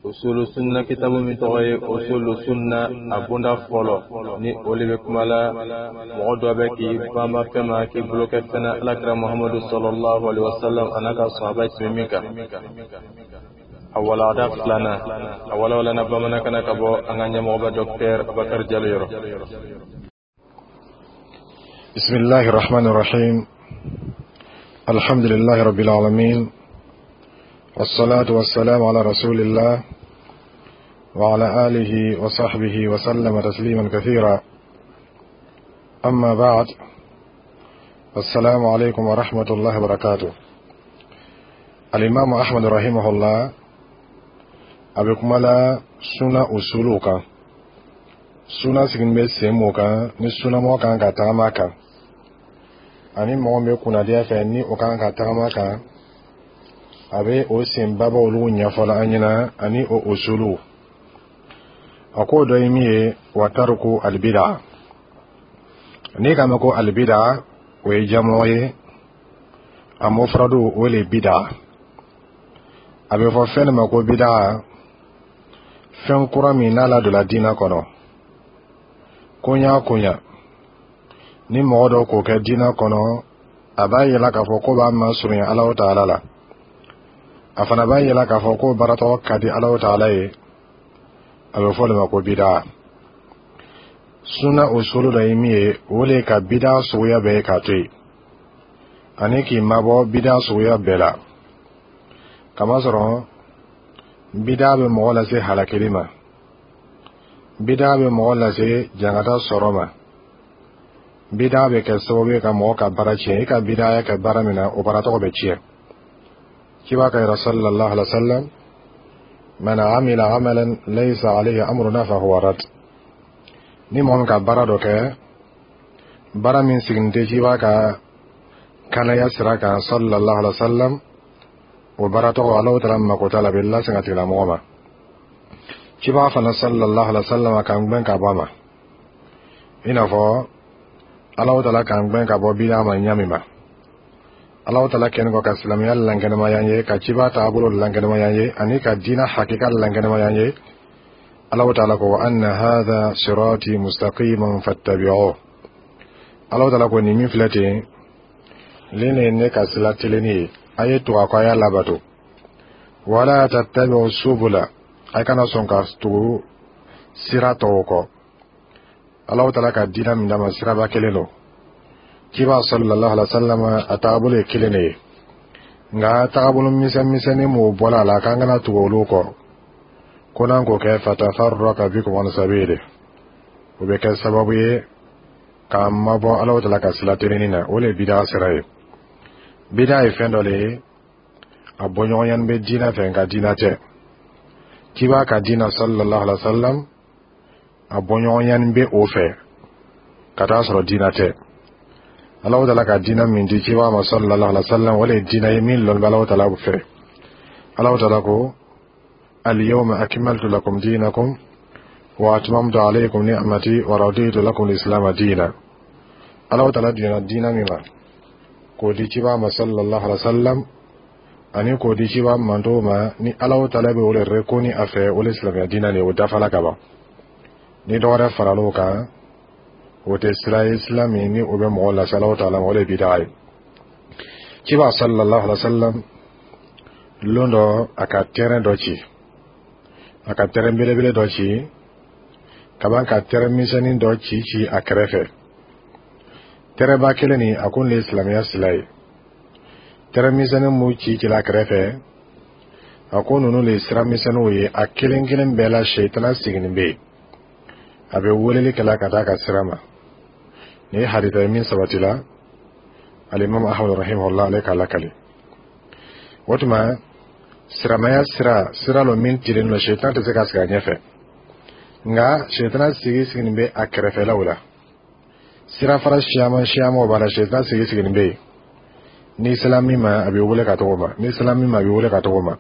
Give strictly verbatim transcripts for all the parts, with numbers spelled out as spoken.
Usulu Sunna kitabu min tɔgɔ ye Usulu Sunna, a bonda fɔlɔ ni o le bɛ kuma la, mɔgɔ dɔ bɛ k'i banba fɛn ma, k'i bolo kɛ fɛn na, Alakira Muhamadu sallallahu alaihi wasallam a n'a ka sahaba tun bɛ min kan. A walada filanan, a walawalana bamanankan na ka bɔ an ka ɲɛmɔgɔba Docteur Abubakar Jalo yɔrɔ. بسم الله الرحمن الرحيم. الحمد لله رب العالمين، والصلاة والسلام على رسول الله وعلى آله وصحبه وسلم تسليما كثيرا. أما بعد، السلام عليكم ورحمة الله وبركاته. الإمام أحمد رحمه الله a bɛ kuma la suna usuluw kan, suna sigin bɛ sen mun kan ni sunamɔgɔ kan ka tagama kan, ani mɔgɔ min bɛ kunnadiya fɛ ni o kan ka tagama kan. A bɛ o senbaba olu ɲɛfɔla an ɲɛna ani o usuluw. A k'o dɔ ye min ye, wa tariku alibida. N'i k'a mɛn ko alibida, o ye jamɔ ye, a mufradu o le bida. A bɛ fɔ fɛn de ma ko bida, fɛn kura min n'a ladonna diinɛ kɔnɔ, koɲa koɲa ni mɔgɔ dɔ k'o kɛ diinɛ kɔnɔ, a b'a yira k'a fɔ ko b'a masurunya Alahu Taala la, a fana b'a yira k'a fɔ ko baaratɔgɔ ka di Alahu Taala ye, a bɛ fɔ o de ma ko bida. Suna usulu dɔ ye min ye, o de ye ka bida suguya bɛɛ ye k'a to yen, ani k'i mabɔ bida suguya bɛɛ la, kamasɔrɔ bida bɛ mɔgɔ lase halakili ma, bida bɛ mɔgɔ lase jangata sɔrɔ ma, bida bɛ kɛ sababu ye ka mɔgɔ ka baara tiɲɛ. I ka bidaya kɛ baara min na, o baara tɔgɔ bɛ tiɲɛ. Ciba ka yɛrɛ sallallahu alaihi wa sallam: man amila amalan laysa alayhi amruna fahuwa rad. Ni mɔgɔ min ka baara dɔ kɛ, baara min sigin tɛ ciba ka kanaya sira kan sallallahu alaihi wa sallam, o baara tɔgɔ Alahu Taala mako t'a la, a bɛ lasegin a tigilamɔgɔ ma. Ciba fana sallallahu alaihi wa sallam k'an gbɛn ka bɔ a ma, i n'a fɔ Alahu Taala k'an gbɛn ka bɔ bida ma ɲa min ma. Alahu Taala kɛlen kɔ ka silamɛya lankɛnɛmaya ye, ka ciba taabolo lankɛnɛmaya ye, ani ka diinɛ hakika lankɛnɛmaya ye, Alahu Taala ko: wa anna hadha sirati mustaqiman fattabi'uhu. Alahu Taala ko nin min filɛ ten nin ye ne ka sira tilenni ye, a ye tugu a kɔ, a y'a labato. Wala tattabi'u subula, a kana sɔn ka tugu sira tɔw kɔ. Alahu Taala ka diinɛ min d'a ma, siraba kelen don. Ciba sallallahu alaihi wa sallam a taabolo ye kelen de ye, nka taabolo misɛn misɛnnin m'o bɔla a la k'an kana tugu olu kɔ, ko n'an k'o kɛ, fatafarraka bikum an sabili, o bɛ kɛ sababu ye k'an mabɔ Alahu Taala ka sira telenni na. O de ye bida sira ye. Bida ye fɛn dɔ de ye, a bɔɲɔgɔnya bɛ diinɛ fɛ, nka diinɛ tɛ. Ciba ka diinɛ sallallahu alaihi wa sallam, a bɔɲɔgɔnya bɛ o fɛ ka taa sɔrɔ diinɛ tɛ. Alahu Taala ka diinɛ min di ciba ma sallallahu alaihi wa sallam, o de ye diinɛ ye min lɔnni bɛ Alahu Taala fɛ. Alahu Taala ko: al-yawma akmaltu lakum dinakum wa atmamtu alaykum ni'mati wa raditu lakum al-islam diina. Alahu Taala diɲɛna diinɛ min ma k'o di ciba ma sallallahu alaihi wa sallam, ani k'o di ciba mantow ma, ni Alahu Taala bɛ o de reconnu a fɛ, o de silamɛya diinɛ de ye, o dafala ka ban. Ni dɔ wɛrɛ faral'o kan, o tɛ sira ye, sira min ni o bɛ mɔgɔ lase Alahu Taala ma, o de ye bidaa ye. Ciba sallallahu alaihi wa sallam, lon dɔ a ka tɛrɛn dɔ ci, a ka tɛrɛn belebele dɔ ci kaban, ka tɛrɛn misɛnnin dɔ ci ci a kɛrɛfɛ. Tɛrɛba kelen nin, a ko nin ye silamɛya sila ye. Tɛrɛn misɛnnin mun ci cila a kɛrɛfɛ, a ko ninnu de ye sira misɛnninw ye. A kelen kelen bɛɛ la, sɛtana sigilen bɛ yen, a bɛ weleli kɛla ka taa ka sira ma. Nin ye hadisa ye min sabatila alimami Ahmad rahimahullah ale k'a lakali. O tuma siramaya sira, sira lo min tilen don, sɛtana tɛ se ka sigi a ɲɛfɛ, nka sɛtana sigi sigilen bɛ a kɛrɛfɛlaw la. Sirafara siyaman siyamanw b'a la, sɛtana sigi sigilen bɛ yen. N'i sera min ma, a b'i wele ka tɔgɔ ma. N'i sera min ma, a b'i wele ka tɔgɔ ma.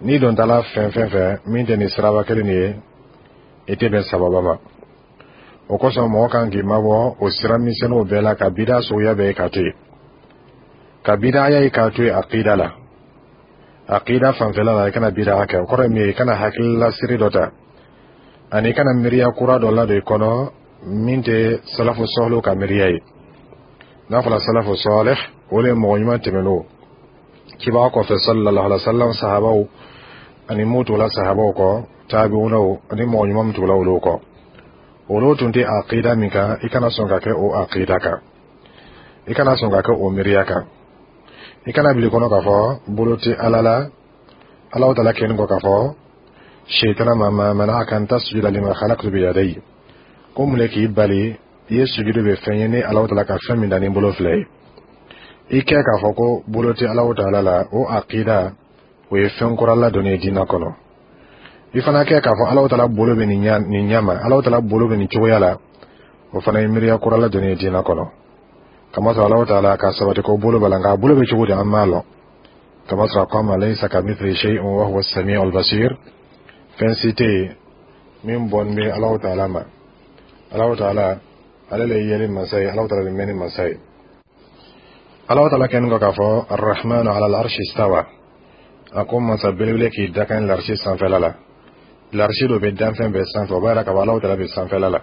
N'i don tala fɛn fɛn fɛ min tɛ nin siraba kelen nin ye, i tɛ bɛn sababa ma. O kosɔn mɔgɔ kan k'i mabɔ o sira misɛnninw bɛɛ la, ka bida suguya bɛɛ ye k'a to yen, ka bidaya ye k'a to yen aqida la. Aqida fanfɛla la, i kana bida kɛ. O kɔrɔ ye min ye, i kana hakililasiri dɔ ta ani i kana miiriya kura dɔ ladon i kɔnɔ min tɛ salafu sɔhlu ka miiriya ye. N'a fɔra salafu sɔlih, o de ye mɔgɔ ɲuman tɛmɛn'o cibaga kɔfɛ sallallahu alaihi wa sallam, sahabaw ani mun tugula sahabaw kɔ, tabi'unaw ani mɔgɔ ɲuman min tugula olu kɔ, olu tun tɛ aqida min kan, i kana sɔn ka kɛ o aqida kan, i kana sɔn ka kɛ o miiriya kan. I kana bili kɔnɔ k'a fɔ bolo tɛ Ala la. Alahu Taala kɛlen kɔ k'a fɔ Sɛtana ma: ma mana'aka an tasjuda lima khalaqtu biyadayya, ko mun de k'i bali i ye sujudu bɛ fɛn ye ne Alahu Taala ka fɛn min da ni bolo filɛ ye? I kɛ k'a fɔ ko bolo tɛ Alahu Taala la, o aqida, o ye fɛn kura ladonni ye diinɛ kɔnɔ. I fana kɛ k'a fɔ Alahu Taala bolo bɛ nin ɲa nin ɲɛ ma, Alahu Taala bolo bɛ nin cogoya la, o fana ye miiriya kura ladonni ye diinɛ kɔnɔ. Kamasɔrɔ Alahu Taala ka sabati ko bolo b'a la, nka a bolo bɛ cogo di, an m'a lɔn. Kamasɔrɔ a ko a ma: laysa kamithlihi shay'un wa huwa as-sami'ul basir. Fɛn si tɛ yen min bɔnni bɛ Alahu Taala ma. Alahu Taala, ale le ye yeli masa ye, Alahu Taala le mɛnni masa ye. Alahu Taala kɛlen kɔ k'a fɔ: arrahmanu ala al-arshi istawa, a ko masa belebele k'i dakan larisi sanfɛla la. Larisi dɔ bɛ danfɛn bɛɛ sanfɛ, o b'a yira k'a fɔ Alahu Taala bɛ sanfɛla la.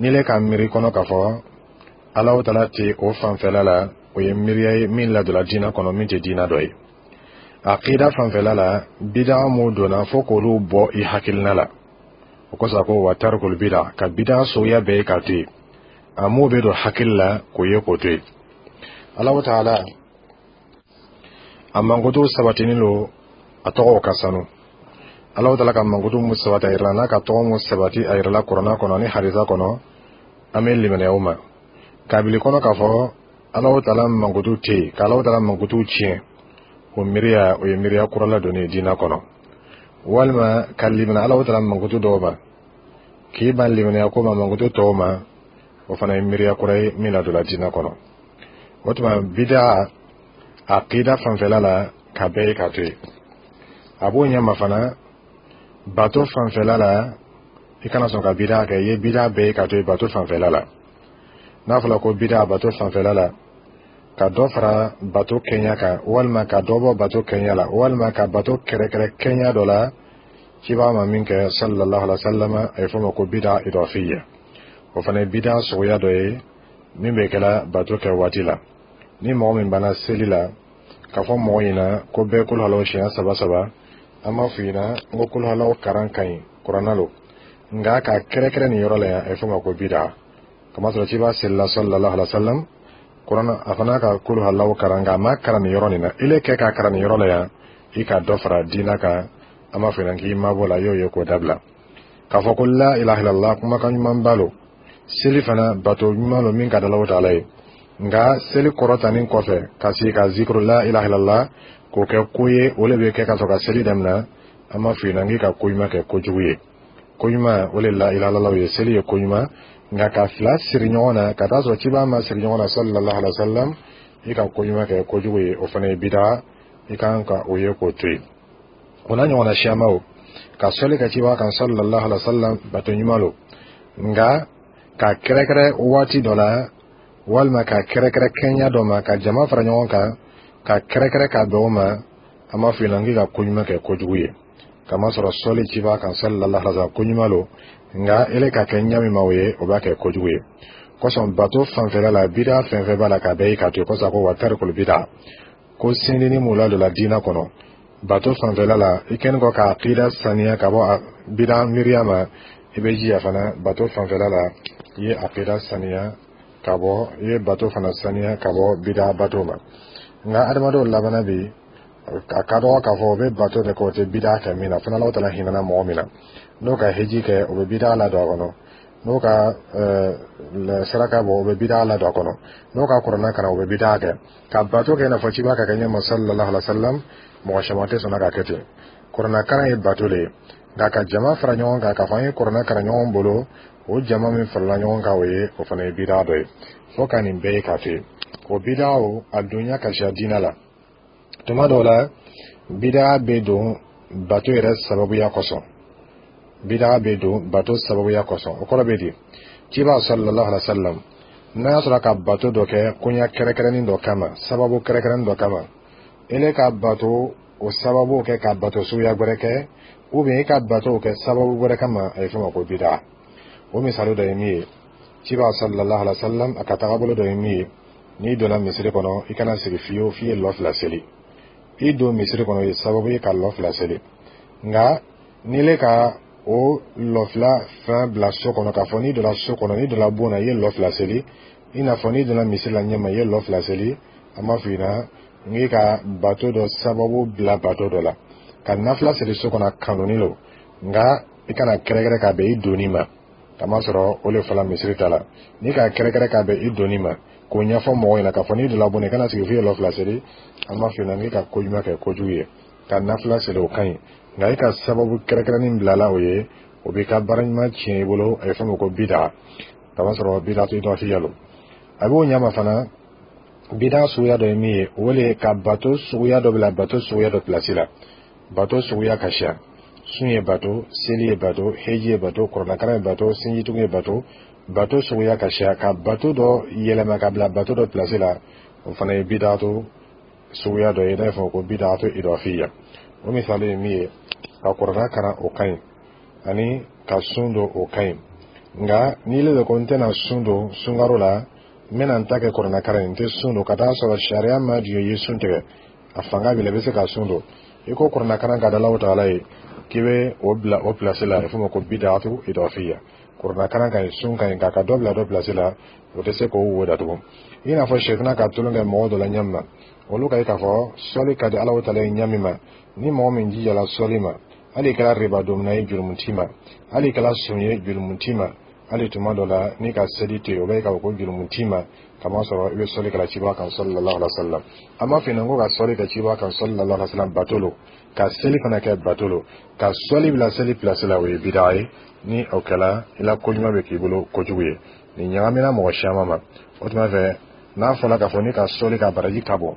N'i le ka miiri kɔnɔ k'a fɔ Alahu Taala tɛ o fanfɛla la, o ye miiriya ye min ladonna diinɛ kɔnɔ, min tɛ diinɛ dɔ ye. Aqida fanfɛla la, bida mun donna, fo k'olu bɔ i hakilina la. O kosɔn a ko: wa tarikul bida, ka bida sogoya bɛɛ ye k'a to yen. A m'o bɛ don hakili la k'o ye k'o to yen. Alahu Taala a mankutu sabatinin don, a tɔgɔw ka sanu. Alahu Taala ka mankutu mun sabati a yɛrɛ la, n'a ka tɔgɔ mun sabati a yɛrɛ la Kuranna kɔnɔ ni hadisa kɔnɔ, an bɛ limaniya o ma. Kabili kɔnɔ k'a fɔ Alahu Taala mankutu tɛ yen, ka Alahu Taala mankutu tiɲɛ, o miiriya, o ye miiriya kura ladonni ye diinɛ kɔnɔ. Walima ka limaniya Alahu Taala mankutu dɔw ma, k'i ban limaniya ko ma mankutu tɔw ma, o fana ye miiriya kura ye min ladonna diinɛ kɔnɔ. O tuma, bida aqida fanfɛla la, ka bɛɛ ye k'a to yen. A b'o ɲɛma fana, bato fanfɛla la, i kana sɔn ka bida kɛ. I ye bida bɛɛ ye k'a to yen bato fanfɛla la. N'a fɔra ko bida bato fanfɛla la, ka dɔ fara bato kɛɲa kan, walima ka dɔ bɔ bato kɛɲa la, walima ka bato kɛrɛkɛrɛ kɛɲa dɔ la cibaga ma min kɛ sallallahu alaihi wa sallam, a ye fɔ o ma ko bida idafiya. O fana ye bida suguya dɔ ye min bɛ kɛla bato kɛ waati la. Ni mɔgɔ min banna seli la k'a fɔ mɔgɔ ɲɛna ko bɛɛ kolo siɲɛ saba saba, an b'a fɔ ɲɛna n ko kolo karan ka ɲi, Kuranna lo, nka k'a kɛrɛkɛrɛ nin yɔrɔ la yan, a ye fɔ o ma ko bida. Kamasɔrɔ ciba selila sallallahu alaihi wa sallam, Kuranna a fana ka kolo halaw karan, nka a ma karan nin yɔrɔ nin na. Ile kɛ k'a karan nin yɔrɔ la yan, i ka dɔ fara diinɛ kan, an b'a fɔ ɲɛna k'i mabɔ la, i y'o ye k'o dabila. K'a fɔ ko la ilaha illallah, kumakan ɲuman ba lo, seli fana bato ɲuman lo min ka da Alahu Taala ye, nka seli kɔrɔtanin kɔfɛ ka sigi ka zikuru la ilaha illallah k'o kɛ ko ye, o le bɛ kɛ ka sɔrɔ ka seli daminɛ, an b'a fɔ ɲɛna k'i ka ko ɲuman kɛ kojugu ye. Ko ɲuman, o le la ilaha illallah ye, seli ye ko ɲuman, nka ka fila siri ɲɔgɔn na ka taa sɔrɔ ciba ma siri ɲɔgɔn na sallallahu alaihi wa sallam, i ka ko ɲuman kɛ kojugu ye, o fana ye bida, i kan ka o ye k'o to yen. O n'a ɲɔgɔnna siyamaw, ka sɔli ka ciba kan sallallahu alaihi wa sallam, bato ɲuman lo, nka ka kɛrɛkɛrɛ waati dɔ la, walima ka kɛrɛkɛrɛ kɛɲa dɔ ma, ka jama fara ɲɔgɔn kan ka kɛrɛkɛrɛ ka bɛn o ma, an b'a fɔ ɲɛna k'i ka ko ɲuman kɛ kojugu ye. Kamasɔrɔ sɔli ciba kan sallallahu alaihi wa sallam, ko ɲuman lo, nka ele ka kɛ ɲa min ma o ye, o b'a kɛ kojugu ye. Kosɔn bato fanfɛla la, bida fɛn fɛn b'a la, ka bɛɛ ye k'a to yen. Kosɔn ko wa tarikul bida, ko sindini mun ladonna diinɛ kɔnɔ bato fanfɛla la, i kɛlen kɔ ka aqida saniya ka bɔ bida miiriya ma, i bɛ jija fana bato fanfɛla la, i ye aqida saniya ka bɔ, i ye bato fana saniya ka bɔ bida bato ma. Nka adamadenw labanna bi, a ka dɔgɔ k'a fɔ o bɛ bato de kɛ, o tɛ bida kɛ min na fana. Alahu Taala hinɛna mɔgɔ min na, n'o ka heji kɛ, o bɛ bida ladon a kɔnɔ, n'o ka saraka bɔ, o bɛ bida ladon a kɔnɔ, n'o ka Kuranna kalan, o bɛ bida kɛ. Ka bato kɛ i n'a fɔ ciba ka kɛ ɲɛma sallallahu alaihi wa sallam, mɔgɔ caman tɛ sɔnna ka kɛ ten. Kuranna kalan ye bato de ye, nka ka jama fara ɲɔgɔn kan k'a fɔ an ye Kuranna kalan ɲɔgɔn bolo, o jama min farala ɲɔgɔn kan, o ye, o fana ye bida dɔ ye. Fo ka nin bɛɛ ye k'a to yen. O bida, o a donya ka siya diinɛ la. Tuma dɔw la, bida bɛ don bato yɛrɛ sababuya kosɔn. Bida bɛ don bato sababuya kosɔn, o kɔrɔ bɛ di? Ciba sallallahu alaihi wa sallam, n'a y'a sɔrɔ ka bato dɔ kɛ koɲa kɛrɛnkɛrɛnnin dɔ kama, sababu kɛrɛnkɛrɛnnin dɔ kama, ele ka bato o sababu kɛ ka bato suguya wɛrɛ kɛ, ou bien i ka bato kɛ sababu wɛrɛ kama, a ye fɔ ma ko bida. O misali dɔ ye min ye, ciba sallallahu alaihi wa sallam a ka tagabolo dɔ ye min ye, n'i donna misiri kɔnɔ, i kana sigi fiyewu f'i ye lɔ fila seli. I don misiri kɔnɔ ye sababu ye ka lɔ fila seli, nka n'i le ka o lɔ fila fɛn bila so kɔnɔ, k'a fɔ n'i donna so kɔnɔ, n'i donna bon na, i ye lɔ fila seli, i n'a fɔ n'i donna misiri la ɲɛma, i ye lɔ fila seli, an b'a f'i ɲɛna n k'i ka bato dɔ sababu bila bato dɔ la. Ka nafila seli so kɔnɔ kanuni lo, nka i kana kɛrɛkɛrɛ ka bɛn i donni ma, kamasɔrɔ o le fɔla misiri ta la. N'i ka kɛrɛkɛrɛ ka bɛn i donni ma k'o ɲɛfɔ mɔgɔw ɲɛna k'a fɔ n'i donna bon na, i kana sigi f'i ye lɔ fila seli, an b'a f'i ɲɛna k'i ka ko ɲuman kɛ kojugu ye. Ka nafila seli, o ka ɲi, nka i ka sababu kɛrɛnkɛrɛnnin bilala o ye, o b'i ka baara ɲuman tiɲɛ i bolo. A ye fɛn min ko bida, kamasɔrɔ bida to i dɔ fiyɛ lo. A b'o ɲama fana, bida suguya dɔ ye min ye, o le ka bato suguya dɔ bila bato suguya dɔ pilasi la. Bato suguya ka siya: sun ye bato, seli ye bato, heji ye bato, kɔrɔnakaran ye bato, sinjitugu ye bato. Bato suguya ka siya, ka bato dɔ yɛlɛma ka bila bato dɔ pilasi la, o fana ye bidato suguya dɔ ye n'a ye fɔ ko bidato idafiya. O misali ye min ye, ka kɔrɔna karan, o ka ɲi, ani ka sun don, o ka ɲi, nka n'i le ko n tɛna sun don sunkaro la, n bɛna n ta kɛ kɔrɔna karan ye, n tɛ sun don, ka taa sɔrɔ sariya ma jɔ i ye sun tigɛ, a fanga b'i la, i bɛ se ka sun don, i ko kɔrɔna karan ka da Alahu taala ye k'i bɛ o bila o pilasi la, a bɛ f'o ma ko bidatu idafiya. Kɔrɔna karan ka ɲi, sun ka ɲi, k'a ka dɔ bila dɔ pilasi la, o tɛ se k'o wo datugu. I n'a fɔ sɛtana ka tulon kɛ mɔgɔ dɔ la ɲɛ min ma, olu ka ye k'a fɔ sɔli ka di Alahu taala ye ɲɛ min ma, ni mɔgɔ min jijala sɔli ma, hali i kɛra riba domina ye, jurumu t'i ma, hali i kɛra son ye, jurumu t'i ma, hali tuma dɔ la n'i ka seli to yen, o bɛ k'a fɔ ko jurumu t'i ma, kamasɔrɔ i bɛ sɔli kɛla ciba kan sallallahu alaihi wa sallam. An b'a f'i ɲɛna ko ka sɔli kɛ ciba kan sallallahu alaihi wa sallam bato lo, ka seli fana kɛ bato lo. Ka sɔli bila seli pilasi la, o ye bida ye. Ni o kɛla, i la koɲuman bɛ k'i bolo kojugu ye. Nin ɲagamina mɔgɔ caman ma. O tuma fɛ, n'a fɔra k'a fɔ n'i ka sɔli ka baraji ka bon,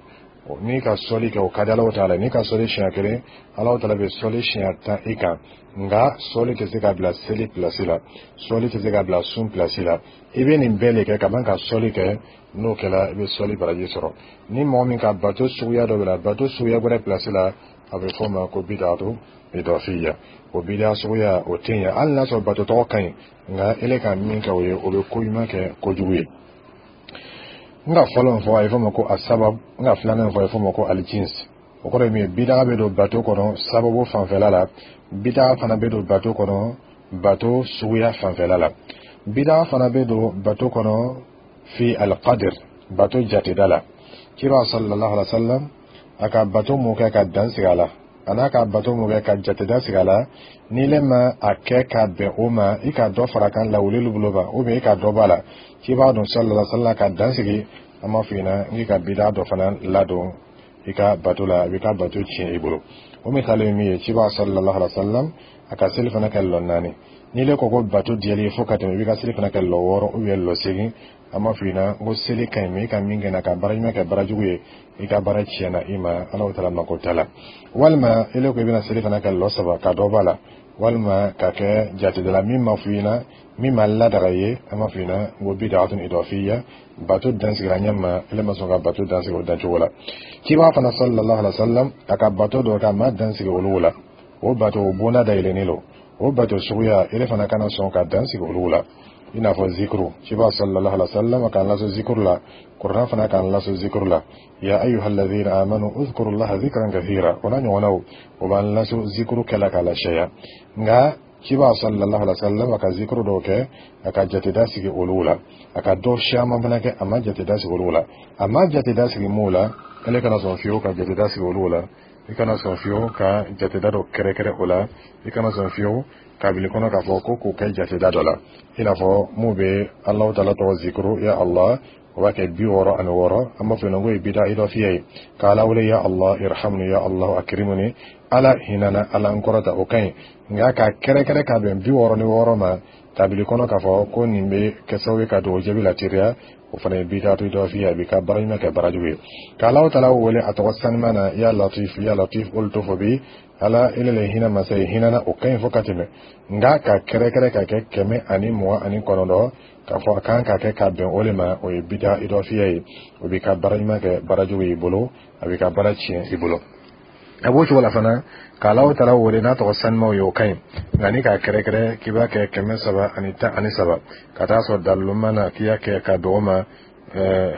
n'i ka sɔli kɛ, o ka di Alahu taala, n'i ka sɔli siɲɛ kelen, Alahu taala bɛ sɔli siɲɛ tan i kan, nka sɔli tɛ se ka bila seli pilasi la, sɔli tɛ se ka bila sun pilasi la. I bɛ nin bɛɛ de kɛ ka ban ka sɔli kɛ, n'o kɛra, i bɛ sɔli baraji sɔrɔ. Ni mɔgɔ min ka bato suguya dɔ bila bato suguya wɛrɛ pilasi la, a bɛ fɔ o ma ko bidatu idafiya. O bida suguya, o tɛ ɲɛ, hali n'a sɔrɔ bato tɔgɔ ka ɲi, nka ele ka min kɛ o ye, o bɛ ko ɲuman kɛ kojugu ye. N ka fɔlɔ fɔ, a ye fɔ ma ko asabab. N ka filanan fɔ, a ye fɔ ma ko alijins. O kɔrɔ ye min ye, bidaga bɛ don bato kɔnɔ sababu fanfɛla la, bidaga fana bɛ don bato kɔnɔ bato suguya fanfɛla la, bidaga fana bɛ don bato kɔnɔ fi alqadir, bato jateda la. Kira sallallahu alaihi wa sallam a ka bato mun kɛ ka dan sigi a la, a n'a ka bato mun kɛ ka jateda sigi a la, n'i le ma a kɛ ka bɛn o ma, i ka dɔ fara kan lawulili bolo kan, ou bien i ka dɔ bɔ a la, k'i b'a dɔn sallallahu alaihi wa sallam ka dan sigi, an b'a f'i ɲɛna k'i ka bida dɔ fana ladon i ka bato la, a b'i ka bato tiɲɛ i bolo. O misali ye min ye, ciba sallallahu alaihi wa sallam a ka seli fana kɛ lɔ naani. N'i le ko ko bato diyali fo ka tɛmɛ, i b'i ka seli fana kɛ lɔ wɔɔrɔ ou bien lɔ seegin, an b'a f'i ɲɛna ko seli ka ɲi, mɛ i ka min kɛ na ka baara ɲuman kɛ baara jugu ye, i ka baara tiɲɛna i ma, Alahu taala mako t'a la. Walima i le ko i bɛna seli fana kɛ lɔ saba ka dɔ b'a la, walima ka kɛ jatedala min ma f'i ɲɛna, min ma ladaga ye, an b'a f'i ɲɛna ko bid'atun idafiyya. Bato dan sigira ɲɛ ma, ele ma sɔn ka bato dan sigi o dancogo la. Ciba fana sallallahu alaihi wa sallam a ka bato dɔ kɛ, a ma dan sigi olu la, o bato o bonda dayɛlɛnnen don. O bato suguya, ele fana kana sɔn ka dan sigi olu la, i n'a fɔ zikuru. Ciba sallallahu alaihi wa sallam k'an laso zikuru la, kuranɛ fana k'an laso zikuru la: ya ayyuhalladhina amanu uzkurullaha zikran kathira. O n'a ɲɔgɔnnaw, o b'an laso zikuru kɛla k'a lasɛya. Nka ciba sallallahu alaihi wa sallam a ka zikuru dɔw kɛ, a ka jateda sigi olu la, a ka dɔ caman fana kɛ, a ma jateda sigi olu la. A ma jateda sigi mun la, ale kana sɔn fiyewu ka jateda sigi olu la. I kana sɔn fiyewu ka jateda dɔ kɛrɛkɛrɛ o la. I kana sɔn fiyewu kabili kɔnɔ k'a fɔ ko k'o kɛ jateda dɔ la, i n'a fɔ mun bɛ Alahu taala tɔgɔ zikuru ya Allah, o b'a kɛ bi wɔɔrɔ ani wɔɔrɔ, an b'a fɔ yen ko ye bida idafiya ye. K'Ala wele ya Allah irhamni, ya Allah akrimni, Ala hinana, Ala n kɔrɔta, o ka ɲi, nka k'a kɛrɛkɛrɛ ka bɛn bi wɔɔrɔ ni wɔɔrɔ ma kabili kɔnɔ k'a fɔ ko nin bɛ kɛ sababu ye ka dugawu jaabi lateliya, o fana ye bidatu idafiya, a b'i ka baara ɲuman kɛ baara jugu ye. K'Alahu taala wele a tɔgɔ sanuman na, ya latif, ya latif, olu to fɔ bi, Ala ele le hinɛ masa ye, hinɛna, o ka ɲi fo ka tɛmɛ, nka ka kɛrɛkɛrɛ ka kɛ kɛmɛ ani mugan ani kɔnɔntɔn, k'a fɔ a kan ka kɛ ka bɛn o de ma, o ye bida idafiya ye. O b'i ka baara ɲuman kɛ baara jugu y'i bolo, a b'i ka baara tiɲɛ i bolo. A b'o cogo la fana, k'Alahu Taala wele n'a tɔgɔ sanumaw ye, o ka ɲi. Nka ni k'a kɛrɛkɛrɛ k'i b'a kɛ kɛmɛ saba ani tan ani saba, ka taa sɔrɔ dalilu ma na k'i y'a kɛ ka bɛn o ma,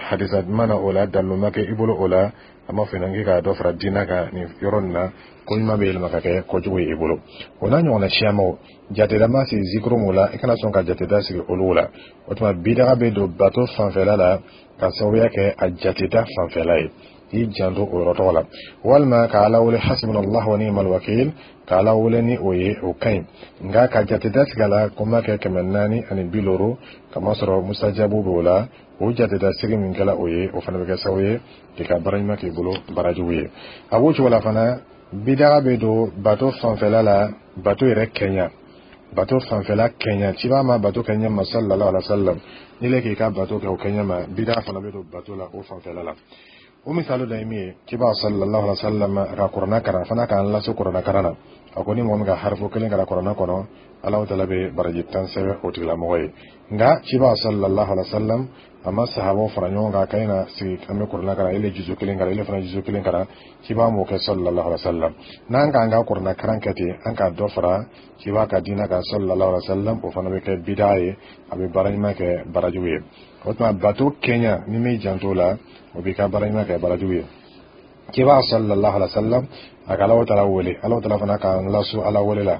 hadisa ma na o la, dalilu ma kɛ i bolo o la, an b'a fɔ ɲɛna k'i ka dɔ fara diinɛ kan nin yɔrɔ nin na. Ko ɲuman bɛ yɛlɛma ka kɛ kojugu ye i bolo. O n'a ɲɔgɔnna siyamaw, jateda ma sigi zikuru mun la, i kana sɔn ka jateda sigi olu la. O tuma bidaga bɛ don bato fanfɛla la ka sababuya kɛ a jateda fanfɛla ye, i janto o yɔrɔ tɔgɔ la. Walima ka Ala wele hasbunallah wa ni'mal wakil, ka Ala wele ni o ye, o ka ɲi. Nka ka jateda sigi a la ko n b'a kɛ kɛmɛ naani ani bi looro, kamasɔrɔ musajabu b'o la, o jateda sigi min kɛla o ye, o fana bɛ kɛ sababu ye k'i ka baara ɲuman k'i bolo baara jugu ye. A b'o cogo la fana, bidaga bɛ don bato fanfɛla la, bato yɛrɛ kɛɲa, bato fanfɛla kɛɲa. Ciba ma bato kɛ ɲɛ ma sallallahu alaihi wa sallam, n'i le k'i ka bato kɛ o kɛɲɛ ma, bidaga fana bɛ don bato la o fanfɛla la. O misali dɔ ye min ye, ciba sallallahu alaihi wa sallam a ka kuranna karan fana, k'an lase kuranna karan na, a ko ni mɔgɔ min ka harifu kelen kalan kuranna kɔnɔ, Alahu Taala bɛ baraji tan sɛbɛn o tigilamɔgɔ ye. Nka ciba sallallahu alaihi wa sallam a ma sahabaw fara ɲɔgɔn kan k'an na sigi an bɛ kuranna kalan, ele juzu kelen kalan, ele fana juzu kelen kalan. Ciba m'o kɛ sallallahu alaihi wa sallam. N'an k'an ka kuranna karan kɛ ten, an k'a dɔ fara ciba ka diinɛ kan sallallahu alaihi wa sallam, o fana bɛ kɛ bidaa ye, a bɛ baara ɲuman kɛ barajugu ye. O tuma bato kɛɲa, ni m'i janto o la, o b'i ka baara ɲuman kɛ barajugu ye. Ciba sallallahu alaihi wa sallam a ka Alahu Taala wele, Alahu Taala fana k'an lasu Ala wele la,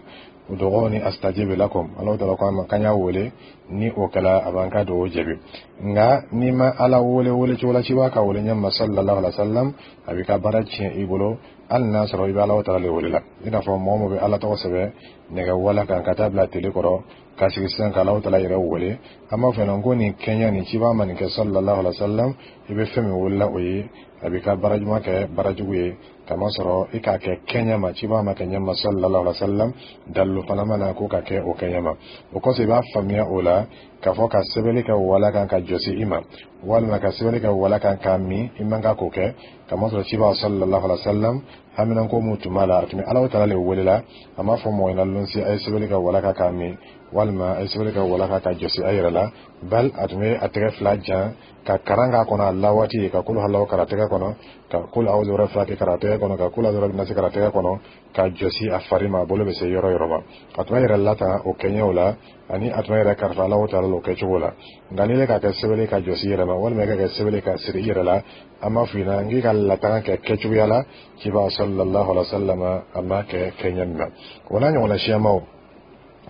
ud'uni astajib lakum. Alahu Taala ko an ma k'an y'a wele, ni o kɛla a b'an ka dugawu jaabi. Nka n'i ma Ala wele wele cogo la ciba ka wele ɲɛ ma sallallahu alaihi wa sallam, a b'i ka baara tiɲɛ i bolo, hali n'a sɔrɔ i bɛ Alahu Taala le wele la. I n'a fɔ mɔgɔ min bɛ Ala tɔgɔ sɛbɛn nɛgɛ wala kan ka taa bila tele kɔrɔ ka sigi sisan ka Alahu Taala yɛrɛ wele, an b'a fɔ ɲɛna ko nin kɛɲɛ nin, ciba ma nin kɛ sallallahu alaihi wa sallam. I bɛ fɛn min wele o ye, a b'i ka baara ɲuman kɛ baara jugu ye, kamasɔrɔ i k'a kɛ kɛɲɛ ma, ciba ma kɛ ɲɛ ma sallallahu alaihi wa sallam, dalilu fana ma na ko ka kɛ o kɛɲɛ ma. O kɔsɔn i b'a faamuya o la k'a fɔ ka sɛbɛnni kɛ wala kan ka jɔsi i ma, walima ka sɛbɛnni kɛ wala kan k'a min, i man kan k'o kɛ, kamasɔrɔ ciba sallallahu alaihi wa sallam haminanko mun tun b'a la, a tun bɛ Alahu Taala le wele la. A m'a fɔ mɔgɔ ɲɛna lonsi a ye sɛbɛnni kɛ wala kan k'a min, walima a ye sɛbɛnni kɛ wala kan ka jɔsi a yɛrɛ la. Bal a tun bɛ a tɛgɛ fila jan ka karan k'a kɔnɔ a la waati, ka kolo halaw kara tɛgɛ kɔnɔ, ka kolo awuzu fila kɛ kara tɛgɛ kɔnɔ, ka kolo awuzu nasi kara tɛgɛ kɔnɔ, ka jɔsi a fari ma, a bolo bɛ se yɔrɔ yɔrɔ ma. A tun b'a yɛrɛ lata o kɛɲɛw la, ani a tun b'a yɛrɛ kalifa Alahu Taala la o kɛcogo la. Nka n'i ka kɛ sɛbɛnni ka jɔsi i yɛrɛ ma, walima i ka kɛ sɛbɛnni ka siri i yɛrɛ la, an b'a f'i ɲɛna k'i ka latanga kɛ kɛcogoya la, ciba sallallahu alaihi wa sallam a m'a kɛ kɛɲɛ min na. O n'a ɲɔgɔnna siyamaw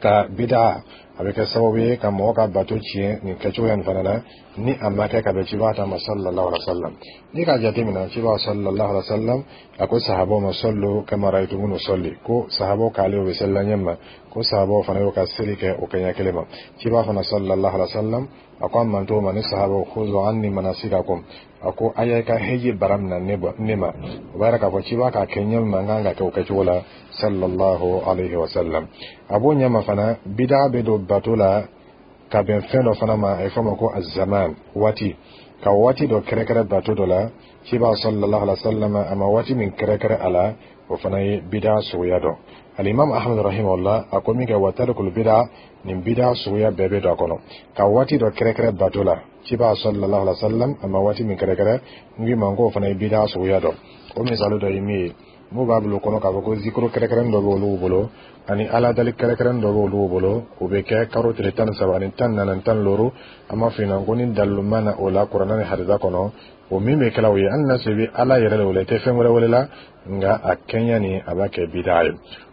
ka bida, a bɛ kɛ sababu ye ka mɔgɔ ka bato tiɲɛ nin kɛcogoya nin fana na, ni a ma kɛ ka bɛn ciba ta ma sallallahu alaihi wa sallam. N'i k'a jateminɛ, ciba sallallahu alaihi wa sallam a ko sahabaw ma sallu kama ra'aytumuni usalli, ko sahabaw k'ale o bɛ seli la ɲɛ ma, ko sahabaw fana y'o ka seli kɛ o kɛɲɛ kelen ma. Ciba fana sallallahu alaihi wa sallam a ko a mantow ma ni sahabaw khuzu anni manasikakum, a ko a y'a ka heji bara minɛ ne ma. O b'a yira k'a fɔ ciba k'a kɛ ɲɛ min ma, n kan ka kɛ o kɛcogo la sallallahu alaihi wa sallam. A b'o ɲɛ ma fana, bida bɛ don bato la ka bɛn fɛn dɔ fana ma, a ye fɔ ma ko azaman, waati, ka waati dɔ kɛrɛkɛrɛ bato dɔ la, ciba sallallahu alaihi wa sallam a ma waati min kɛrɛkɛrɛ a la, o fana ye bida suguya dɔ. Alimam Ahmad rahimahullah a ko min kɛ wa tarikul bida, nin bida suguya bɛɛ bɛ don a kɔnɔ, ka waati dɔ kɛrɛkɛrɛ bato la, ciba sallallahu alaihi wa sallam a ma waati min kɛrɛkɛrɛ. N k'i ma k'o fana ye bida suguya dɔ. O misali dɔ ye min ye, n'u b'a bila o kɔnɔ k'a fɔ ko zikuru kɛrɛkɛrɛnin dɔ bɛ olu bolo, ani Ala dali kɛrɛkɛrɛnin dɔ bɛ olu bolo, o bɛ kɛ karo tile tan ni saba ani tan ni naani ani tan ni looro. An b'a f'i ɲɛna ko ni dalilu ma na o la kuranɛ ni hadisa kɔnɔ, o min bɛ kɛla o ye, hali n'a sɔrɔ i bɛ Ala yɛrɛ de wele, i tɛ fɛn wɛrɛ wele la, nka a kɛɲɛ nin, a b'a kɛ bidaa ye.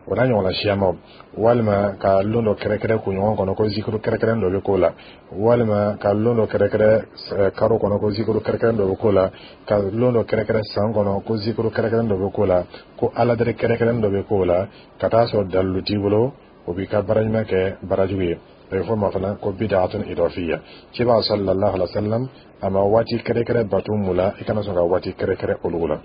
O n'a ɲɔgɔnna siyamaw, walima ka lon dɔ kɛrɛkɛrɛ kunɲɔgɔn kɔnɔ ko zikuru kɛrɛkɛrɛnin dɔ bɛ k'o la, walima ka lon dɔ kɛrɛkɛrɛ karo kɔnɔ ko zikuru kɛrɛkɛrɛnin dɔ bɛ k'o la, ka lon dɔ kɛrɛkɛrɛ san kɔnɔ ko zikuru kɛrɛkɛrɛnin dɔ bɛ k'o la, ko Ala deli kɛrɛkɛrɛnin dɔ bɛ k'o la, ka taa sɔrɔ dalilu t'i bolo, o b'i ka baara ɲuman kɛ baara jugu ye. A bɛ fɔ ma fana ko bid'atun idafiyya. Ciba sallallahu alaihi wa sallam a ma waati kɛrɛkɛrɛ bato mun la, i kana sɔn ka waati kɛrɛkɛrɛ olu la.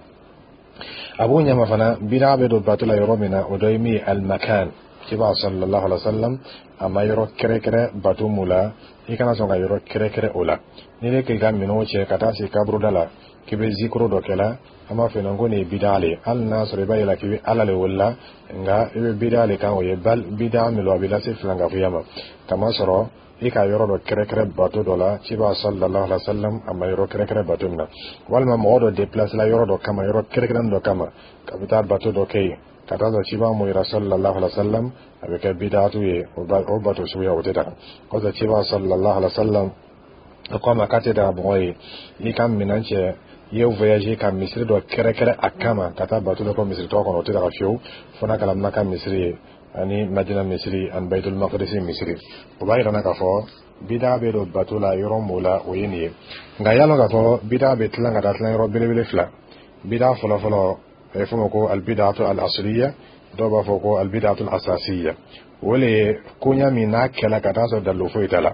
A b'o ɲɛma fana, bida bɛ don bato la yɔrɔ min na, o dɔ ye min ye, almakan. Ciba sallallahu alaihi wa sallam a ma yɔrɔ kɛrɛkɛrɛ bato mun la, i kana sɔn ka yɔrɔ kɛrɛkɛrɛ o la. N'i bɛ k'i ka minɛnw cɛ ka taa sigi kaburuda la. K'i bɛ zikuru dɔ kɛ la, an b'a fɔ yen ko nin ye bida le ye. Hali n'a sɔrɔ i b'a yira k'i bɛ Ala le wele, nka i bɛ bida le kan. O ye bida min don, a bɛ lase filankafoya ma, kamasɔrɔ i ka yɔrɔ dɔ kɛrɛkɛrɛ bato dɔ la, ciba sallallahu alaihi wa sallam a ma yɔrɔ kɛrɛkɛrɛ bato min na, walima mɔgɔ dɔ déplacer la yɔrɔ dɔ kama, yɔrɔ kɛrɛkɛrɛn dɔ kama, ka bɛ taa bato dɔ kɛ yen, ka taa sɔrɔ ciba mo yira sallallahu alaihi wa sallam, a bɛ kɛ bidatu ye. O bato suguya, o tɛ daga. Kɔfɛ, ciba sallallahu alaihi wa sallam a ko a ma k'a tɛ daga mɔgɔ ye i ka minɛn cɛ, i ye voyage ka misiri dɔ kɛrɛkɛrɛ a kama ka taa bato dɔ kɛ misiri tɔgɔ kɔnɔ. O tɛ daga fiyewu, fo n'a kɛra Maka misiri ye ani Madina misiri ani Baitul Maqdis misiri. O b'a yira k'a fɔ bida bɛ don bato la yɔrɔ mun la, o ye nin ye. Nka y'a lɔn k'a fɔ bida bɛ tilan ka taa tilan yɔrɔ belebele fila. Bida fɔlɔfɔlɔ, a bɛ f'o ma ko albidatu al asliya, dɔw b'a fɔ ko albidatu al asasiya. O le ye koɲa min n'a kɛla ka taa sɔrɔ dalilu foyi t'a la.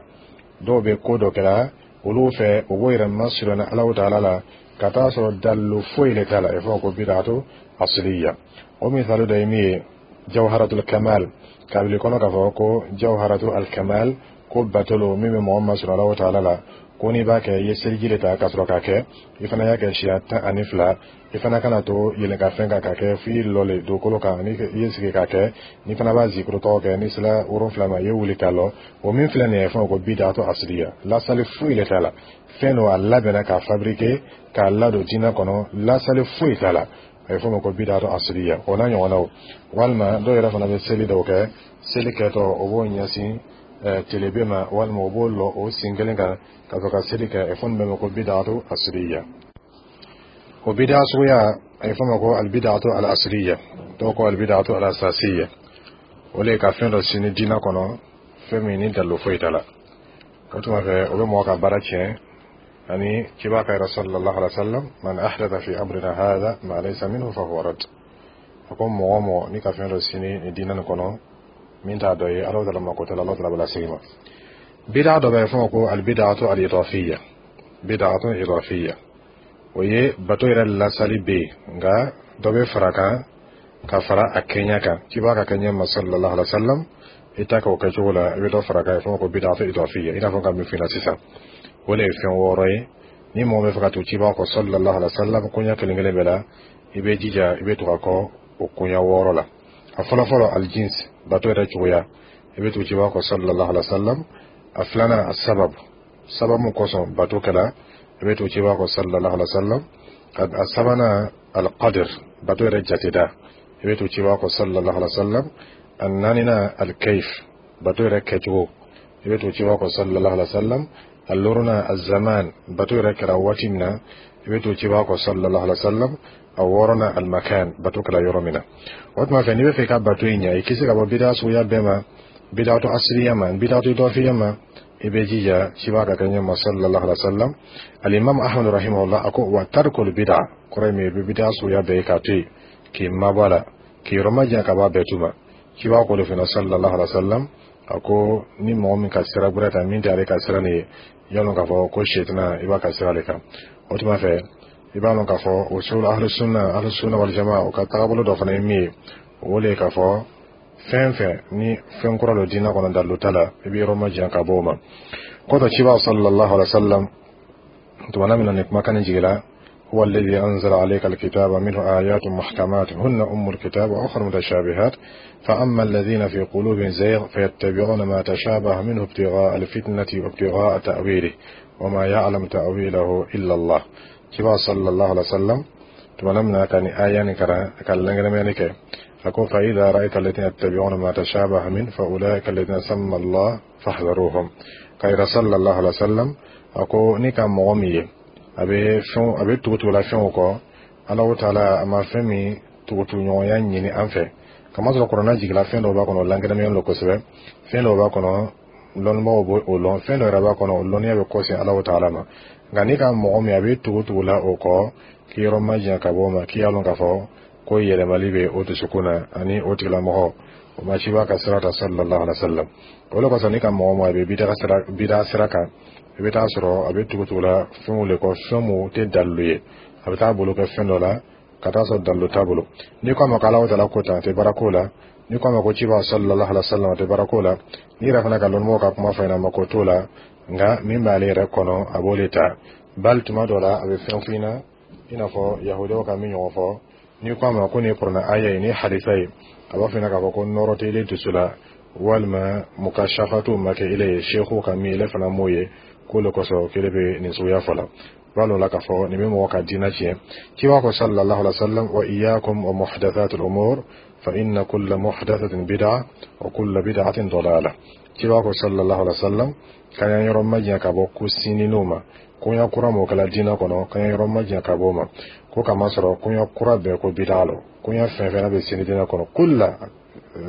Dɔw bɛ ko dɔ kɛla olu fɛ, u b'o yɛrɛ masurunya Alahu taala la ka taa sɔrɔ dalilu foyi le t'a la, a bɛ f'o ma ko bidatu asliya. O misali dɔ ye min ye, jawharatul kamal, kabili kɔnɔ k'a fɔ ko jawharatul kamal, ko batolo min bɛ mɔgɔ masɔrɔ Alahu taala la, ko n'i b'a kɛ, i ye seliji de ta ka sɔrɔ k'a kɛ, i fana y'a kɛ siɲɛ tan ani fila, i fana kana to yɛlɛn fɛn kan k'a kɛ, f'i lɔ le dugukolo kan ni i ye sigi k'a kɛ, n'i fana b'a zikuru tɔgɔ kɛ, n'i sera wolonfila ma, i ye wuli k'a lɔ. O min filɛ nin ye, fɛn ko bidatu asliya, lasali foyi le t'a la. Fɛn don, a labɛnna k'a fabriquer k'a ladon diinɛ kɔnɔ, lasali foyi t'a la. A bɛ f'o ma ko bidatu asliya, o n'a ɲɔgɔnnaw. Walima dɔw yɛrɛ fana bɛ seli dɔw kɛ, seli kɛtɔ, o b'o ɲɛsin telebe ma, walima o b'o lɔ o sen kelen kan ka sɔrɔ ka seli kɛ. A bɛ fɔ nin bɛɛ ma ko bidatu asliya. O bida suguya, a bɛ fɔ ma ko albidatu al asliya, dɔw ko albidatu al asasiya. O le ye ka fɛn dɔ sini diinɛ kɔnɔ, fɛn min ni dalilu foyi t'a la. O tuma fɛ, o bɛ mɔgɔ ka baara tiɲɛ. Ani ciba ka yɛrɛ sallallahu alaihi wa sallam, man ahdatha fi amrina hadha ma laysa minhu fa huwa rad. A ko mɔgɔ mɔgɔ ni ka fɛn dɔ sini ni diinɛ nin kɔnɔ min t'a dɔ ye, Ala taala mako t'a la, Ala taala bɛ lasegin ma. Bida dɔ bɛ yen, fɔ ko albidatu al idafiya. Bidatu idafiya, o ye bato yɛrɛ lasali bɛ yen, nka dɔ bɛ fara kan ka fara a kɛɲɛ kan, k'i b'a ka kɛɲɛ ma sallallahu alaihi wa sallam, i ta kɛ o kɛcogo la, i bɛ dɔ fara kan, fɔ ko bidatu idafiya. I n'a fɔ ka min f'i ɲɛna sisan, o de ye fɛn wɔɔrɔ ye. Ni mɔgɔ bɛ fɛ ka to ciba kɔ sallallahu alaihi wa sallam koɲɛ kelen kelen bɛɛ la, i bɛ jija i bɛ tugu a kɔ o koɲɛ wɔɔrɔ la. A fɔlɔ fɔlɔ, aljins, bato yɛrɛ cogoya, i bɛ tugu ciba kɔ sallallahu alaihi wa sallam. A filanan, a sababu, sababu kosɔn bato kɛla, i bɛ tugu ciba kɔ sallallahu alaihi wa sallam. A sabanan, alqadr, bato yɛrɛ jateda, i bɛ tugu ciba kɔ sallallahu alaihi wa sallam. A naaninan, alkayf, bato yɛrɛ kɛcogo, i bɛ tugu ciba kɔ sallallahu alaihi wa sallam. A duurunan, azaman, bato yɛrɛ kɛra waati min na, i bɛ tugu ciba kɔ sallallahu alaihi wa sallam. A wɔɔrɔnan, almakan, bato kɛra yɔrɔ min na. O tuma fɛ, n'i bɛ fɛ i ka bato in ɲɛ, i kisi ka bɔ bida suguya bɛɛ ma, bidatu asiriya ma, bidatu idafiya ma, i bɛ jija ciba ka kɛ ɲɛ ma sallallahu alaihi wa sallam. Alimam Ahmad rahimahullah a ko wa tarikul bida, kɔrɔ ye min ye, i bɛ bida suguya bɛɛ ye k'a to yen, k'i mabɔ a la, k'i yɔrɔ ma ka bɔ a bɛɛ tu ma. Ciba ko de fana sallallahu alaihi wa sallam, a ko ni mɔgɔ min ka sira gbɛrɛ ta min tɛ ale ka sira nin ye, yalɔ k'a fɔ ko sɛtana i b'a ka sira de kan. O tuma fɛ, i b'a dɔn k'a fɔ usul ahlu sunna, ahlu sunna wal jamaa, o ka tagabolo dɔ fana ye min ye, o de ye k'a fɔ fɛn fɛn ni fɛn kura don diinɛ kɔnɔ, dalilu t'a la, i bɛ yɔrɔ ma jan ka bɔ o ma. Kɔfɛ, ciba sallallahu alaihi wa sallam tumana min na nin kumakan nin jigila, هو الذي أنزل عليك الكتاب منه آيات محكمات هن أم الكتاب وأخر متشابهات، فأما الذين في قلوبهم زيغ فيتبعون ما تشابه منه ابتغاء الفتنة وابتغاء تأويله وما يعلم تأويله إلا الله. Ciba sallallahu alaihi wasallam tumana min na ka ni aya nin karan ka lankɛnɛmɛni kɛ, a ko fa idha ra'aita alladhina yattabi'una ma tashabaha min fa ulaika alladhina samma Allah fahdharuhum. Ka yira sallallahu alaihi wasallam, a ko ni ka mɔgɔ min ye a bɛ fɛn, a bɛ tugutugula fɛnw kɔ, Alahu taala a ma fɛn min tugutuguɲɔgɔnya ɲini an fɛ, kamasɔrɔ kuranna jigila, fɛn dɔw b'a kɔnɔ, o lankɛnɛmɛyalen don kosɛbɛ, fɛn dɔw b'a kɔnɔ, lɔnnibagaw b'o o lɔn, fɛn dɔ yɛrɛ b'a kɔnɔ, o lɔnniya bɛ kɔsegin Alahu taala ma. Nka n'i ka mɔgɔ min a bɛ tugu la o kɔ, k'i yɔrɔ ma janya ka bɔ o ma, k'i y'a lɔn k'a fɔ ko yɛlɛmali bɛ o dusukun na, ani o tigilamɔgɔ o ma ciba ka sira ta sallallahu alaihi wa sallam. O de kosɔn, n'i ka mɔgɔ ma a bɛ bida sira bida sira kan, i bɛ taa sɔrɔ a bɛ tugu la fɛnw de kɔ, fɛn mun tɛ dalilu ye, a bɛ taa bolo kɛ fɛn dɔ la ka taa sɔrɔ dalilu t'a bolo. N'i ko a ma ko Alahu taala ko tan, a tɛ baara ko la. N'i ko a ma ko ciba sallallahu alaihi wa sallam, a tɛ baara ko la. N'i yɛrɛ fana ka lɔnnimɔgɔw ka kuma fɔ ɲɛna, a ma ko t'o la, nka min b'ale yɛrɛ kɔnɔ, a b'o de ta. Bali tuma dɔ la, a bɛ fɛn f'i ɲɛna. I n'a fɔ yahudiyaw ka min ɲɔgɔn fɔ, n'i ko a ma ko nin ye kuranɛ aya ye, nin ye hadisa ye, a b'a fɔ ɲɛna k'a fɔ ko nɔrɔ tɛ ile dusu la, walima mukashafatu ma kɛ ile ye, seku ka min ile fana m'o ye, k'o le kosɔn k'ile bɛ nin suguya fɔ la. B'a lɔn la k'a fɔ nin bɛ mɔgɔ ka diinɛ tiɲɛ. Ciba ko sallallahu alaihi wa sallam: wa iyyakum wa muhdathatil umur, fa inna kulla muhdathatin bid'a wa kulla bid'atin dalalah. Ciba ko sallallahu alaihi wa sallam k'an y'an yɔrɔ majanya ka bɔ ko sinninw ma, koɲa kura m'o kɛla diinɛ kɔnɔ, k'an y'an yɔrɔ majanya ka bɔ o ma, ko kamasɔrɔ koɲa kura bɛɛ ko bid'a lɔ, koɲa fɛn fɛn bɛ sini diinɛ kɔnɔ, kulla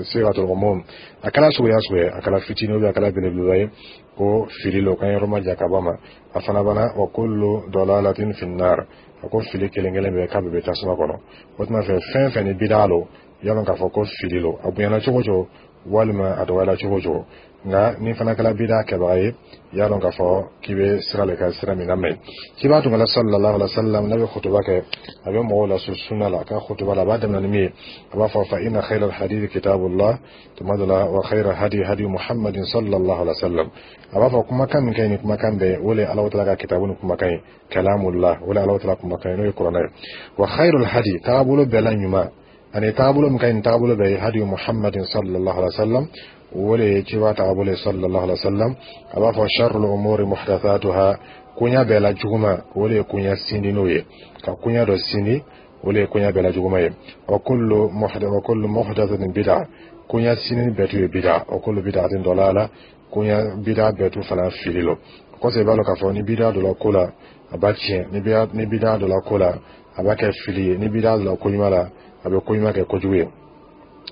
sigatul umum, a kɛra suguya suguya, a kɛra fitinin a kɛra belebeleba ye, ko fili lo, k'an yɔrɔ majanya ka bɔ a ma. A fana bana wa kullu dalalatin finnar, a ko fili kelen kelen bɛɛ k'a bɛɛ bɛ tasuma kɔnɔ. O tuma fɛ, fɛn fɛn ni bid'a lo, yalɔ k'a fɔ ko fili lo, a bonyana cogo cogo walima a dɔgɔyara cogo cogo, nka ni fana kɛra bida kɛbaga ye, y'a dɔn k'a fɔ k'i bɛ sira le ka sira min na mɛ. Ciba tun kɛla sallallahu alaihi wa sallam, n'a bɛ kutuba kɛ, a bɛ mɔgɔw lasu sunna la. A ka kutuba la, a b'a daminɛ ni min ye, a b'a fɔ: fa inna khayra alhadith kitabullah, tuma dɔ la wa khayra hadi hadi muhammadin sallallahu alaihi wa sallam. A b'a fɔ kumakan min ka ɲi ni kumakan bɛɛ, o le Alahu taala ka kitabu ni kumakan ye, kalamullah, o le Alahu taala kumakan ye, n'o ye kuranɛ ye. Wa khayrul hadi, taabolo bɛɛ la ɲuman ani taabolo min ka ɲi taabolo bɛɛ ye, hadi muhammadin sallallahu alaihi wa sallam, o le ye ciba taabolo ye sallallahu alaihi wa sallam. A b'a fɔ sharrul umuri muhdathatuha, koɲa bɛɛ la juguman, o le ye koɲa sindin'o ye, ka koɲa dɔ sindi, o le ye koɲa bɛɛ la juguman ye. Wa kullu wa kullu muhdathatin bid'a, koɲa sindini bɛɛ tu ye bid'a, wa kullu bid'atin dalala, koɲa bid'a bɛɛ tu fana fili lo. Kɔsɛ, i b'a dɔn k'a fɔ ni bid'a dɔ la ko la, a b'a tiɲɛ, ni bid'a dɔ la ko la, a b'a kɛ fili ye, ni bid'a dɔ la ko ɲuman la, a bɛ ko ɲuman kɛ kojugu ye.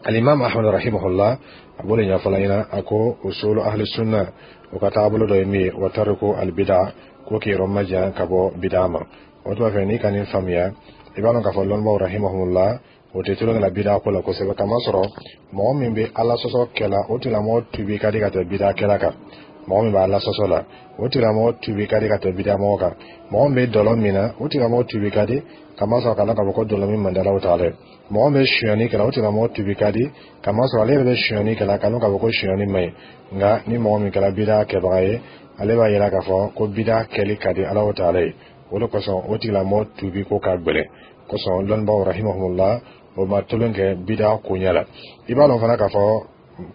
Alimam Ahmad rahimahullah, a b'o de ɲɛfɔla ɲɛna. A ko usulu ahli sunna, o ka taabolo dɔ ye min ye, wa tariku albida, ko k'i yɔrɔ majan ka bɔ bida ma. O tuma fɛ, n'i ka nin faamuya, i b'a dɔn k'a fɔ lɔnnibaw rahimahullah, o tɛ tulon la bida ko la kosɛbɛ, kamasɔrɔ mɔgɔ min bɛ Ala sɔsɔ kɛla, o tigilamɔgɔ tubi ka di ka tɛmɛ bida kɛla kan. Mɔgɔ min bɛ Ala sɔsɔ la, o tigilamɔgɔ tubi ka di ka tɛmɛ bida mɔgɔ kan. Mɔgɔ min bɛ dɔlɔ min na, o tigilamɔgɔ tubi ka di, kamasɔrɔ ka dɔn k'a fɔ ko dɔlɔ min man di Alahu taala ye. Mɔgɔ min bɛ sonyani kɛla, o tigilamɔgɔ tubi ka di, kamasɔrɔ ale yɛrɛ bɛ sonyani kɛla, ka dɔn k'a fɔ ko sonyani man ɲi. Nka ni mɔgɔ min kɛra bida kɛbaga ye, ale b'a yira k'a fɔ ko bida kɛli ka di Alahu taala ye. O de kosɔn o tigilamɔgɔ tubi ko ka gɛlɛn. Kosɔn lɔnnibaaw rahimahumullah, o ma tulon kɛ bida koɲɛ la. I b'a dɔn fana k'a fɔ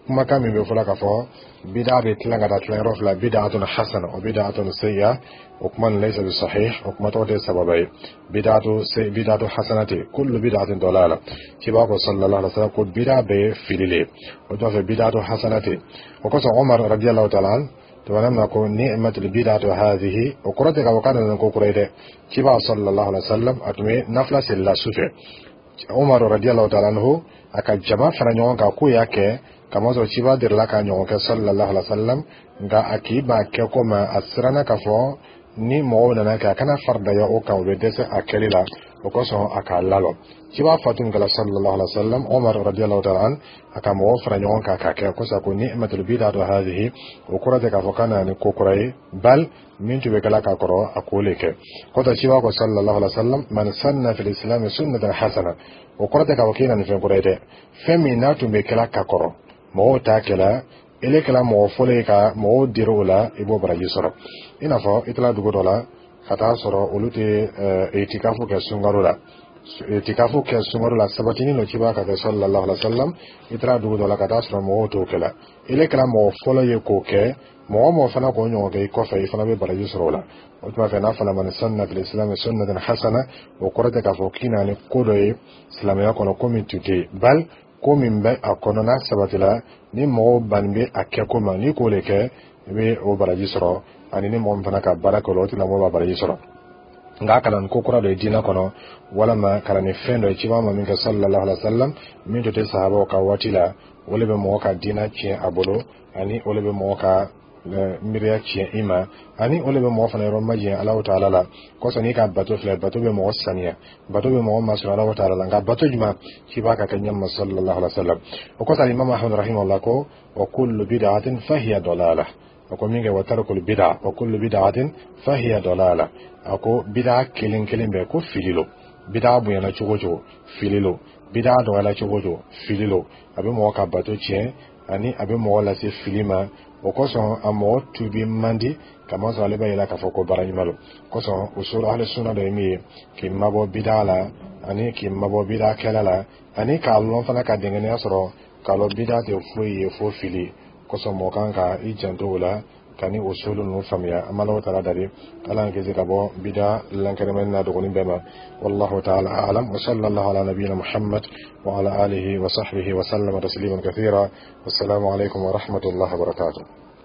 kumakan min bɛ fɔla k'a fɔ bida bɛ tilan ka taa tilayɔrɔ fila, bid'atun hasana wa bid'atun sayyi'a, o kuma nin laysa bi sahih, o kuma tɔgɔ tɛ sababa ye. Bid'atu bid'atu hasanati, kullu bid'atin dalala. Ciba ko sallallahu alaihi wasallam ko bid'a bɛɛ ye fili le ye. O tuma fɛ, bid'atu hasanati. O kosɔn Umar radiyallahu ta'ala an tuma na ko ni'matul bid'atu hadhihi, o kɔrɔ tɛ k'a fɔ k'a nana ko kura ye dɛ. Ciba sallallahu alaihi wasallam, a tun bɛ nafila seli la su fɛ. Umar radiyallahu ta'ala anhu, a ka jama fara ɲɔgɔn kan k'o y'a kɛ, kamasɔrɔ ciba delila k'a ɲɔgɔn kɛ sallallahu alaihi wasallam, nka a k'i ban kɛ ko ma, a siranna k'a fɔ ni mɔgɔw nana kɛ, a kana faridaya o kan, o bɛ dɛsɛ a kɛli la. O kosɔn a k'a lalɔ. Ciba fatu min kɛla sallallahu alaihi wasallam, Umar radiyallahu ta'ala an, a ka mɔgɔw fara ɲɔgɔn kan k'a kɛ kosɔn ko ni'matul bid'atu hadhihi, o kɔrɔ tɛ k'a fɔ k'a nana ni ko kura ye, bal min tun bɛ kɛla ka kɔrɔ, a k'o le kɛ. Kɔtɔ, ciba ko sallallahu alaihi wasallam: man sanna fil islam sunnatan hasana, o kɔrɔ tɛ k'a fɔ k'e na ni fɛn kura ye dɛ. Fɛn min n'a tun bɛ kɛla ka kɔrɔ, mɔgɔw t'a kɛla, ele kɛla mɔgɔ fɔlɔ ye ka mɔgɔw dira o la, i b'o baraji sɔrɔ. I n'a fɔ i taara dugu dɔ la ka taa sɔrɔ olu tɛ itikafu kɛ sunkalo la. Itikafu kɛ sunkalo la sabatinin dɔ ciba ka kɛ sallallahu alaihi wasallam. I taara dugu dɔ la ka taa sɔrɔ mɔgɔw t'o kɛ la, ele kɛra mɔgɔ fɔlɔ ye k'o kɛ, mɔgɔ mɔgɔ fana k'o ɲɔgɔn kɛ i kɔfɛ, i fana bɛ baraji sɔrɔ o la. O tuma fɛ, n'a fɔra man sanna fil islam sunnatan hasana, o kɔrɔ tɛ k'a fɔ k'i na ni ko dɔ ye silamɛya kɔnɔ, ko min tun tɛ yen, bal ko min bɛ a kɔnɔ n'a sabatila, ni mɔgɔw bannen bɛ a kɛ ko ma, n'i k'o de kɛ, i bɛ o baraji sɔrɔ, ani ni mɔgɔ min fana ka baara kɛ o la, o tigilamɔgɔ b'a baraji sɔrɔ. Nka kalan ko kura dɔ ye diinɛ kɔnɔ, walama kalan ni fɛn dɔ ye ciba ma min kɛ sallallahu alaihi wa sallam, min tun tɛ sahabaw ka waati la, o de bɛ mɔgɔ ka diinɛ tiɲɛ a bolo, ani o de bɛ mɔgɔ ka miiriya tiɲɛ i ma, ani o de bɛ mɔgɔ fana yɔrɔ majɛ Alahu taala la. Kɔsɔn n'i ka bato filɛ, bato bɛ mɔgɔ saniya, bato bɛ mɔgɔ masɔrɔ Alahu taala la, nka bato jumɛn ciba ka kɛ ɲɛma sallallahu alaihi wa sallam. O kɔsɔn Imam Ahmad rahimahullah ko wa kullu bid'atin fahiya dalalah. A ko min kɛ wa tarkul bid'a, wa kullu bid'atin fahiya dalalah, a ko bid'a kelen kelen bɛɛ ko fili lo. Bid'a bonyana cogo cogo, fili lo. Bid'a dɔgɔyala cogo cogo, fili lo. A bɛ mɔgɔ ka bato tiɲɛ. Ani a bɛ mɔgɔ lase fili ma. O kosɔn a mɔgɔ tubi man di, kamasɔrɔ ale b'a yira k'a fɔ ko baara ɲuman don. Kosɔn usul ahli sunna dɔ ye min ye, k'i mabɔ bida la ani k'i mabɔ bida kɛla la, ani k'a lɔn fana, ka dɛngɛniya sɔrɔ k'a lɔn bida tɛ foyi ye fo fili. Kosɔn mɔgɔ kan ka i janto o la, ka ni usulu ninnu faamuya. An b'Ala taala dari, Ala k'an kisi ka bɔ bida lankɛnɛmɛni n'a dɔgɔnin bɛɛ ma. والله تعالى أعلم، وصلى الله على نبينا محمد وعلى آله وصحبه وسلم تسليما كثيرا، والسلام عليكم ورحمة الله وبركاته.